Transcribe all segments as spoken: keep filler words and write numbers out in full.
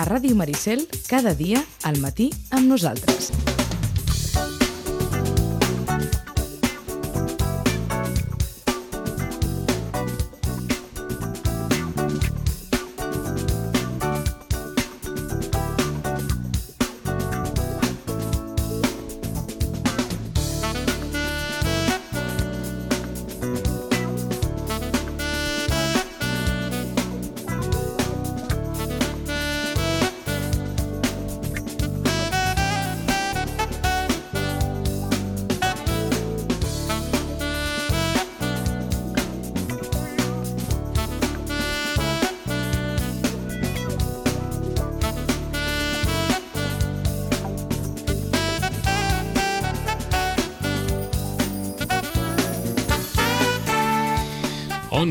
a Ràdio Maricel cada dia al matí amb nosaltres.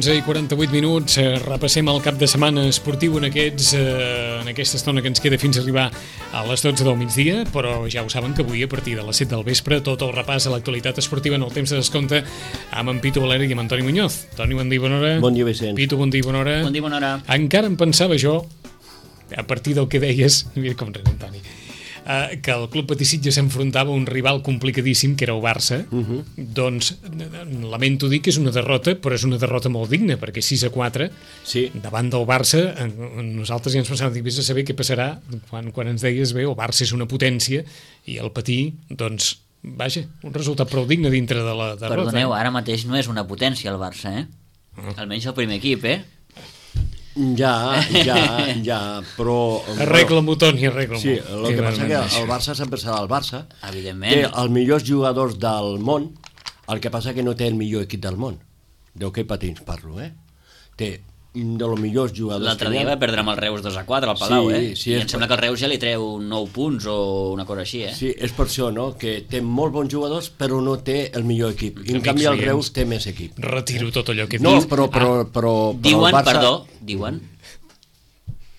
onze i quaranta-vuit minuts, eh, repassem el cap de setmana esportiu en, aquests, eh, en aquesta estona que ens queda fins a arribar a les dotze del migdia, però ja ho saben que avui a partir de les set del vespre tot el repàs a l'actualitat esportiva en el temps de descompte amb en Pitu Valeri i amb Antoni Muñoz. Toni, bon dia, bona hora. Bon dia, Vicent. Pitu, bon dia, bona hora. Bon dia, bona hora. Encara em pensava jo, a partir del que deies, mira com res, Antoni, Uh, que el Club Patí Sitges s'enfrontava a un rival complicadíssim, que era el Barça. Uh-huh. Doncs lamento dir que és una derrota, però és una derrota molt digna, perquè sis a quatre, sí, davant del Barça, nosaltres ja ens pensàvem, dic, vés a saber què passarà quan, quan ens deies, bé, el Barça és una potència i el Patí, doncs, vaja, un resultat prou digne dintre de la derrota. Perdoneu, ara mateix no és una potència el Barça, eh? Uh. Almenys el primer equip, eh? Ja, ja, ja, però... Arregla-m'ho, Toni, arregla-m'ho. Sí, el que passa que el Barça sempre serà el Barça. Evidentment. Té els millors jugadors del món, el que passa que no té el millor equip del món. D'hoquei patins parlo, eh? Té de los millors jugadors... L'altre dia va perdre amb el Reus dos a quatre al Palau, sí, eh? Sí, I em sembla que el Reus ja li treu nou punts o una cosa així, eh? Sí, és per això, no?, que té molt bons jugadors però no té el millor equip. I en canvi el Reus té més equip. Retiro tot allò que no, dius. però, però, però, però diuen, el Barça... perdó, diuen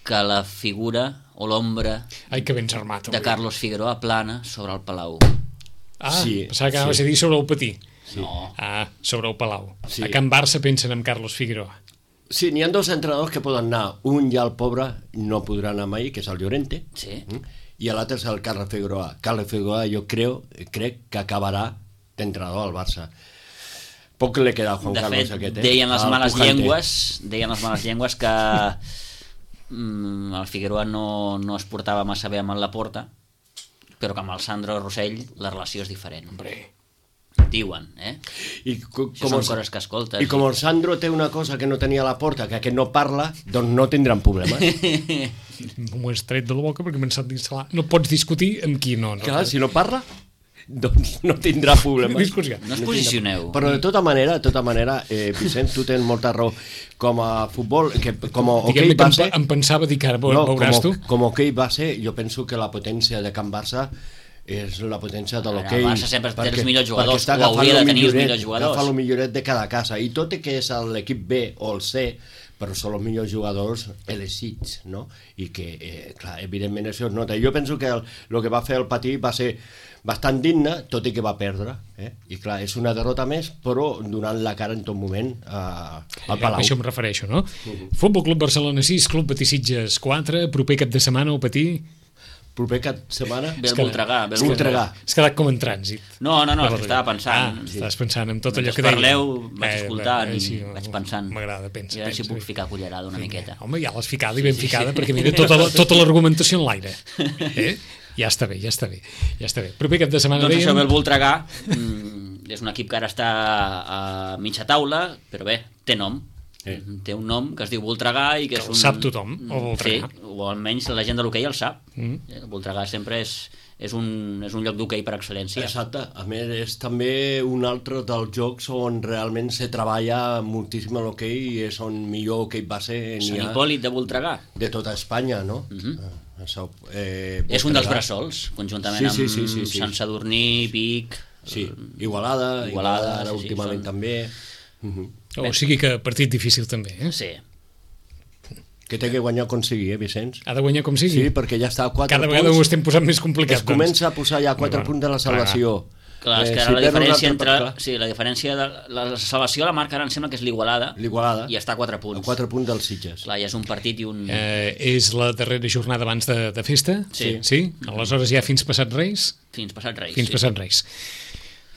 que la figura o l'ombra Ai, que ben armat, de Carlos Figueroa plana sobre el Palau. Ah, sí, pensava que anaves sí. a dir sobre el Patí. Sí. No. Ah, sobre el Palau. Sí. A Can Barça pensen en Carlos Figueroa. Sí, n'hi ha dos entrenadors que poden anar. Un ja el pobre no podrà anar mai, que és el Llorente, sí, i l'altre és el Carles Figueroa. Carles Figueroa jo creo, crec que acabarà d'entrenador al Barça. Poc li queda a Juan de Carlos fet, aquest, eh? deien les el males pujante. llengües deien les males llengües que mm, el Figueroa no, no es portava massa bé amb el Laporta, però que amb el Sandro Rossell la relació és diferent. Hombre, diuen, eh? I com, Això són coses que escoltes. I com el Sandro té una cosa que no tenia a la porta, que aquest no parla, doncs no tindran problemes. m'ho has tret de la boca perquè m'he pensat d'instal·lar. No pots discutir amb qui no. no Clar, si no parla, doncs no tindrà problemes. Discussió. No us posicioneu. Però de tota manera, de tota manera, eh, Vicent, tu tens molta raó. Com a futbol, que, com a hoquei Diguem-ne base... que em, em pensava dir que ara no, veuràs com, tu. Com a hoquei base, jo penso que la potència de Can Barça és la potència de l'hoquei. El Barça sempre té els millors jugadors, o hauria de tenir els millors jugadors. Agafa el milloret de cada casa, i tot i que és l'equip B o el C, però són els millors jugadors elegits, no? I que, eh, clar, evidentment això es nota. Jo penso que el, el que va fer el Patí va ser bastant digne, tot i que va perdre, eh? I clar, és una derrota més, però donant la cara en tot moment a, al Palau. A això em refereixo, no? Uh-huh. Futbol Club Barcelona sis, Club Patí Sitges quatre, proper cap de setmana al Patí... Proper cap setmana... Ve el Voltregà. Voltregà. Has quedat com en trànsit. No, no, no, és que estava pensant. Ah, estaves pensant en tot allò que deia. Parleu, deia. vaig escoltant eh, eh, sí, i vaig pensant. M'agrada, pensa. I a veure si pensa. puc ficar cullerada una sí, miqueta. Home, ja l'has ficada i ben sí, sí, ficada, sí. Perquè mira, tota, la, tota l'argumentació en l'aire. Eh? Ja està bé, ja està bé. Ja està bé. Proper cap de setmana doncs dèiem... això ve el Voltregà. Mm, és un equip que ara està a mitja taula, però bé, té nom. Sí. Té un nom que es diu Voltregà i que, que és un... sap tothom, el Voltregà. Sí, o almenys la gent de l'hoquei el sap. Mm. El Voltregà sempre és, és, un, és un lloc d'hoquei per excel·lència. Exacte. A més, és també un altre dels jocs on realment se treballa moltíssim a l'hoquei i és on millor hoquei base n'hi Sant ha Hipòlit de Voltregà. de tota Espanya, no? Mm-hmm. Això, eh, és un dels bressols, conjuntament sí, sí, sí, sí, amb sí. Sant Sadurní, Vic... Sí, Igualada, Igualada, Igualada ara sí, últimament sí, també... Uh-huh. O sigui que partit difícil també, eh? Sí. Que té que guanyar com sigui, eh, Vicenç? Ha de guanyar com sigui? Sí, perquè ja està a quatre Cada punts. vegada ho estem posant més complicat. Es comença a posar ja a quatre bueno, punts de la salvació. Clar, és que Eh, ara si la perd un diferència altre, entre... clar. Sí, la diferència de... La salvació la marca ara em sembla que és l'Igualada. L'Igualada. I està a quatre punts. A quatre punts dels Sitges. Clar, ja és un partit i un... Eh, és la darrera jornada abans de, de festa? Sí. Sí? Aleshores ja fins passat Reis? Fins passat Reis. Fins sí. passat Reis.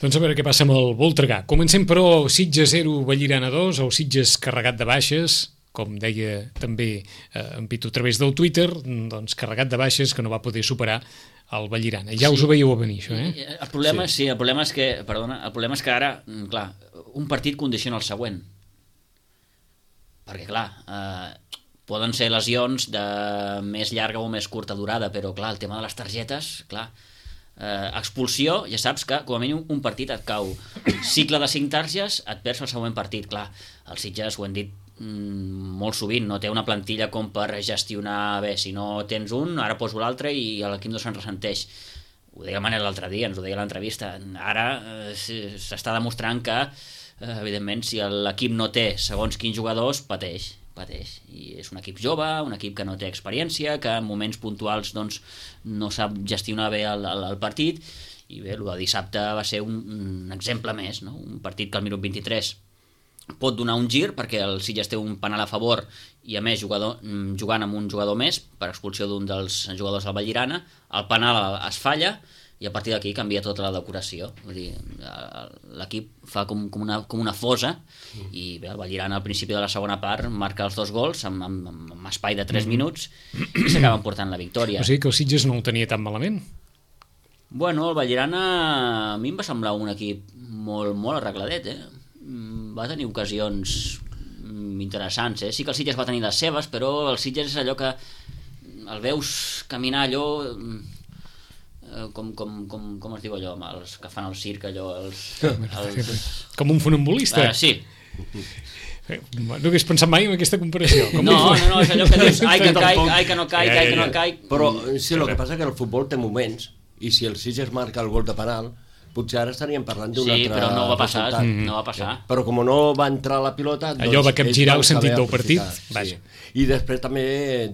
Doncs a veure què passa amb el Voltregà. Comencem, però, Sitges zero, Vallirana dos, o Sitges carregat de baixes, com deia també eh, en Pitu a través del Twitter, doncs carregat de baixes que no va poder superar el Vallirana. Ja us Sí. ho veieu a venir, això, eh? El problema, Sí. sí. sí, el problema és que, perdona, el problema és que ara, mm, clar, un partit condiciona el següent. Perquè, clar, eh, poden ser lesions de més llarga o més curta durada, però, clar, el tema de les targetes, clar, eh, expulsió, ja saps que com a mínim un partit et cau. Cicle de cinc targes, et perds el següent partit, clar. Els Sitges, ho hem dit mm, molt sovint, no té una plantilla com per gestionar bé, si no tens un, ara poso l'altre i l'equip no se'n ressenteix. Ho deia Manel l'altre dia, ens ho deia a l'entrevista. Ara eh, s'està demostrant que, eh, evidentment, si l'equip no té segons quins jugadors, pateix, pateix. I és un equip jove, un equip que no té experiència, que en moments puntuals doncs, no sap gestionar bé el, el, el partit, i bé, el de dissabte va ser un, un exemple més, no? Un partit que al minut vint-i-tres pot donar un gir perquè el Sitges té un penal a favor i a més jugador, jugant amb un jugador més per expulsió d'un dels jugadors del Vallirana, el penal es falla i a partir d'aquí canvia tota la decoració. Vull dir, l'equip fa com, com, una, com una fosa i bé, el Vallirana al principi de la segona part marca els dos gols amb, amb, amb espai de tres minuts i s'acaben portant la victòria. O sigui que el Sitges no el tenia tan malament. Bueno, el Vallirana a mi em va semblar un equip molt, molt arregladet, eh? Va tenir ocasions interessants, eh? Sí que el Sitges va tenir les seves, però el Sitges és allò que el veus caminar allò eh, com, com, com, com es diu allò, amb els que fan el circ allò, els, els... Com un funambulista. Uh, sí. No hagués pensat mai en aquesta comparació. Com No, un... no, no, és allò que dius, ai que caic, ai que no caic, Ja, ja, ai que no ja. caic. Però sí, el que passa és que el futbol té moments, i si el Sitges marca el gol de penal, potser ara estaríem parlant d'un Sí, altre però no va passar, resultat. no va passar. Però com no va entrar la pilota... Doncs Allò va capgirar ells el sentit van del saber partit, aprofitar, vaja. Sí. I després també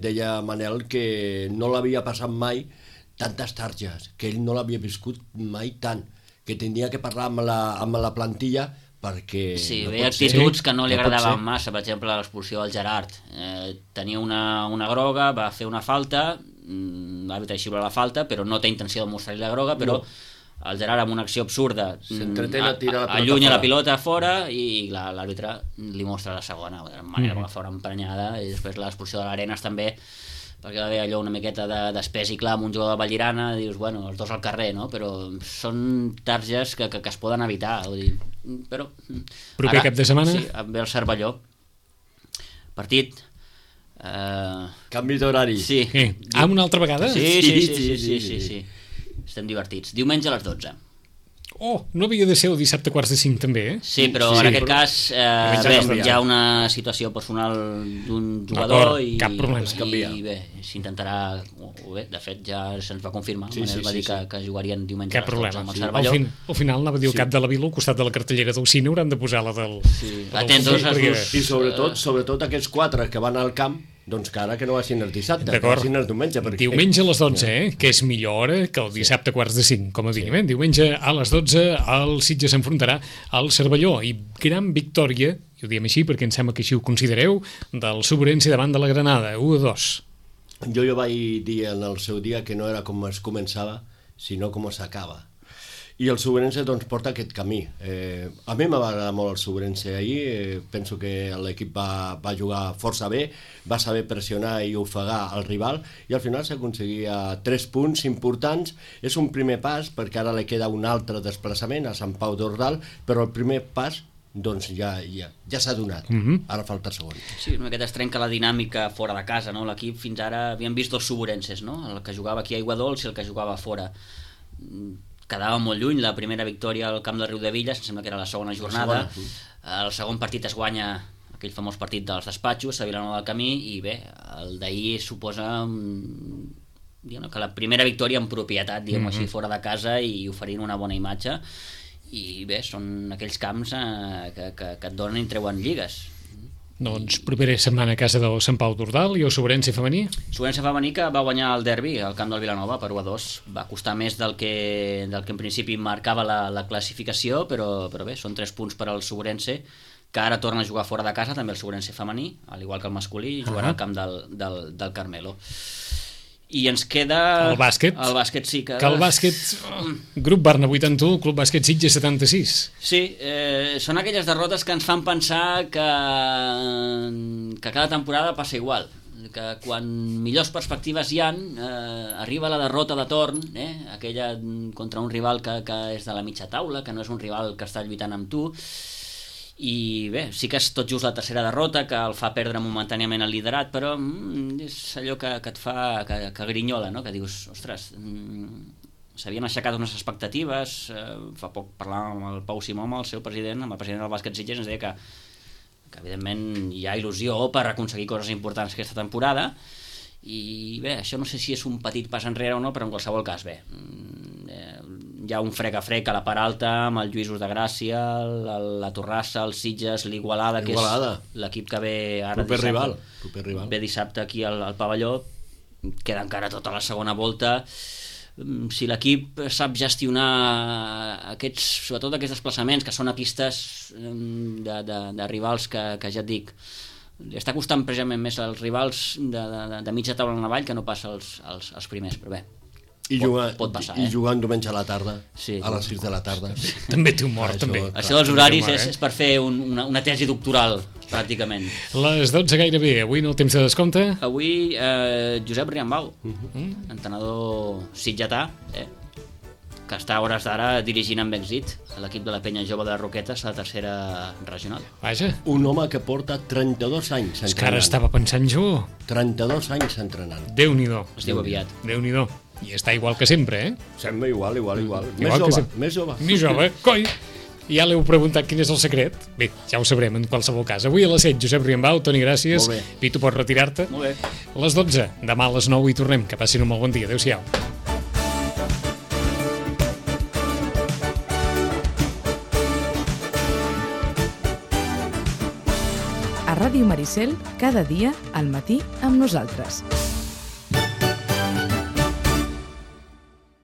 deia Manel que no l'havia passat mai tantes targes, que ell no l'havia viscut mai tant, que tenia que parlar amb la, amb la plantilla perquè... Sí, no hi ha pot ser. actituds que no li No pot agradaven ser. massa, per exemple l'expulsió del Gerard. Eh, tenia una, una groga, va fer una falta, mm, l'àrbitre xiula la falta, però no té intenció de mostrar-li la groga, però No. el Gerard amb una acció absurda S'entretén a tirar la pilota allunya fora. la pilota fora i l'àrbitre li mostra la segona, de manera Mm. que fa una emprenyada, i després l'expulsió de l'Arenas també, perquè va haver allò una miqueta de, d'espès i clar amb un jugador de Vallirana, dius, bueno, els dos al carrer, no? Però són targes que, que, que es poden evitar, vull dir, però... Proper cap de setmana? Sí, ve el Cervelló. Partit... Eh, Canvi d'horari. sí. Què? Ah, una altra vegada? Sí, sí, sí, sí, sí, sí, sí, sí, sí. Estem divertits. Diumenge a les dotze. Oh, no havia de ser el dissabte quarts de cinc també, eh? Sí, però Sí, en aquest però- cas eh, Aquest bé, s'ha canviat. hi ha una situació personal d'un jugador D'acord, i, cap problema. Es canvia. i bé, s'intentarà, o o bé, de fet ja se'ns va confirmar, Sí, Manel sí, va sí, dir que, sí. que jugarien diumenge Cap a les dotze problema. amb el Sí. Al, Cervelló. fin, al final anava a dir el Sí. cap de la vila al costat de la cartellera del cine hauran de posar la del... Sí. la del Atentos futbol, als perquè- dos. I sobretot, sobretot aquests quatre que van al camp, doncs que ara que no vagin el dissabte, que D'acord. vagin el diumenge. Perquè... Diumenge a les dotze, eh? Que és millor hora que el dissabte a quarts de cinc, com a mínim. Eh? Diumenge a les dotze el Sitges s'enfrontarà al Cervelló i gran victòria, i ho diem així perquè em sembla que així ho considereu, del Sobrense davant de la Granada, u a dos. Jo jo vaig dir en el seu dia que no era com es començava, sinó com s'acaba. I el Sobrense doncs, porta aquest camí. Eh, a mi m'va agradar molt el Sobrense ahir, eh, penso que l'equip va, va jugar força bé, va saber pressionar i ofegar el rival, i al final s'aconseguia tres punts importants. És un primer pas, perquè ara li queda un altre desplaçament a Sant Pau d'Ordal, però el primer pas doncs ja, ja, ja s'ha donat. Mhm. Ara falta el segon. Sí, una miqueta es trenca la dinàmica fora de casa, no? L'equip fins ara havíem vist dos Soborenses, no? El que jugava aquí a Aiguadols i el que jugava fora. Quedava molt lluny la primera victòria al camp del Riudevilles, em sembla que era la segona jornada. segona, sí. El segon partit es guanya aquell famós partit dels despatxos a Vilanova del Camí i bé, el d'ahir suposa mm, diguem, que la primera victòria en propietat, diguem-ho Mhm. així, fora de casa i oferint una bona imatge. I bé, són aquells camps eh, que, que, que et donen i treuen lligues. Doncs propera setmana a casa del Sant Pau d'Ordal i el Sobrense femení. Sobrense femení que va guanyar el derbi al camp del Vilanova per u a dos. Va costar més del que, del que en principi marcava la, la classificació, però, però bé, són tres punts per al Sobrense, que ara torna a jugar fora de casa, també el Sobrense femení, al igual que el masculí, i jugarà uh -huh. al camp del, del, del Carmelo. I ens queda... El bàsquet. El bàsquet, sí. Que, que el bàsquet... Oh, Grup Barna vuitanta-u, Club Bàsquet Sitges setanta-sis. Sí, eh, són aquelles derrotes que ens fan pensar que, que cada temporada passa igual. Que quan millors perspectives hi han, eh, arriba la derrota de torn, eh, aquella contra un rival que, que és de la mitja taula, que no és un rival que està lluitant amb tu. I bé, sí que és tot just la tercera derrota que el fa perdre momentàniament el liderat, però mm, és allò que, que et fa que, que grinyola, no? Que dius, ostres, mm, s'havien aixecat unes expectatives. Eh, fa poc parlàvem amb el Pau Simó, amb el seu president, amb el president del Bàsquet Sitges, ens deia que, que evidentment hi ha il·lusió per aconseguir coses importants aquesta temporada, i bé, això no sé si és un petit pas enrere o no, però en qualsevol cas, bé, eh, hi ha un frec a frec a la part alta amb el Lluïsos de Gràcia, la, la Torrassa, el Sitges, l'Igualada, que és l'equip que ve ara proper dissabte, rival, proper rival. ve dissabte aquí al, al pavelló. Queda encara tota la segona volta. Si l'equip sap gestionar aquests, sobretot aquests desplaçaments que són a pistes de, de, de rivals que, que ja et dic, li està costant precisament més als rivals de, de, de mitja taula en avall que no passa als, als, als primers, però bé, I pot, jugar, pot passar, i eh? jugant diumenge a la tarda, sí. a les sis de la tarda. També té humor, Això, també. clar. Això dels horaris humor, és, eh? és per fer un, una, una tesi doctoral, pràcticament. Les dotze gairebé, avui no el temps de descompte. Avui, eh, Josep Riambau, Uh-huh. entrenador sitgetà, eh, que està a hores d'ara dirigint amb èxit l'equip de la Penya Jove de Roquetes a la tercera regional. Vaja, Un home que porta trenta-dos anys és que ara entrenant. estava pensant jo. trenta-dos anys entrenant. Déu-n'hi-do. Es diu aviat. Déu-n'hi-do. I està igual que sempre, eh? Sembla igual, igual, igual. Més Igual que jove, sempre. més jove. Més jove, coi! Ja l'heu preguntat quin és el secret? Bé, ja ho sabrem en qualsevol cas. Avui a les set, Josep Riambau, Toni, gràcies. Molt bé. Pitu, pots retirar-te? Molt bé. A les dotze, demà a les nou hi tornem. Que passin un molt bon dia. Adéu-siau. A Ràdio Maricel, cada dia al matí amb nosaltres.